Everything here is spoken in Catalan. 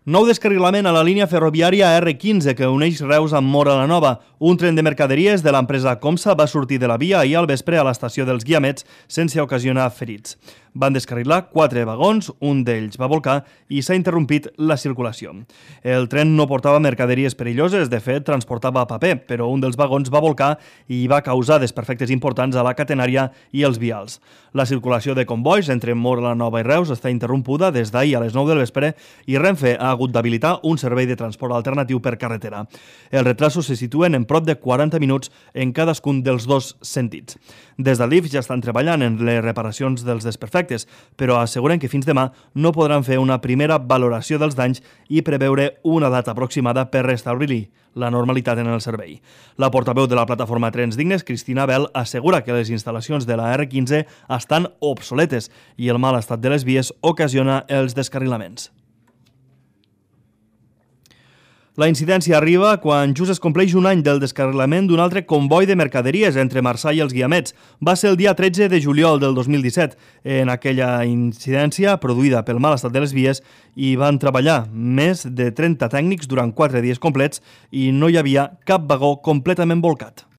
Nou descarrilament a la línia ferroviària R15 que uneix Reus amb Móra la Nova. Un tren de mercaderies de l'empresa Comsa va sortir de la via ahir al vespre a l'estació dels Guiamets sense ocasionar ferits. Van descarrilar 4 vagons, un d'ells va volcar i s'ha interrompit la circulació. El tren no portava mercaderies perilloses, de fet transportava paper, però un dels vagons va volcar i va causar desperfectes importants a la catenària i els vials. La circulació de convois entre Móra la Nova i Reus està interrompuda des d'ahir a les 9 del vespre i Renfe ha hagut d'habilitar un servei de transport alternatiu per carretera. Els retrasos se situen en prop de 40 minuts en cadascun dels dos sentits. Des de l'IF ja estan treballant en les reparacions dels desperfectes, però asseguren que fins demà no podran fer una primera valoració dels danys i preveure una data aproximada per restablir la normalitat en el servei. La portaveu de la plataforma Trens Dignes, Cristina Bel, assegura que les instal·lacions de la R15 estan obsoletes i el mal estat de les vies ocasiona els descarrilaments. La incidència arriba quan just es compleix un any del descarrilament d'un altre comboi de mercaderies entre Marçà i els Guiamets. Va ser el dia 13 de juliol del 2017. En aquella incidència, produïda pel mal estat de les vies, hi van treballar més de 30 tècnics durant 4 dies complets i no hi havia cap vagó completament volcat.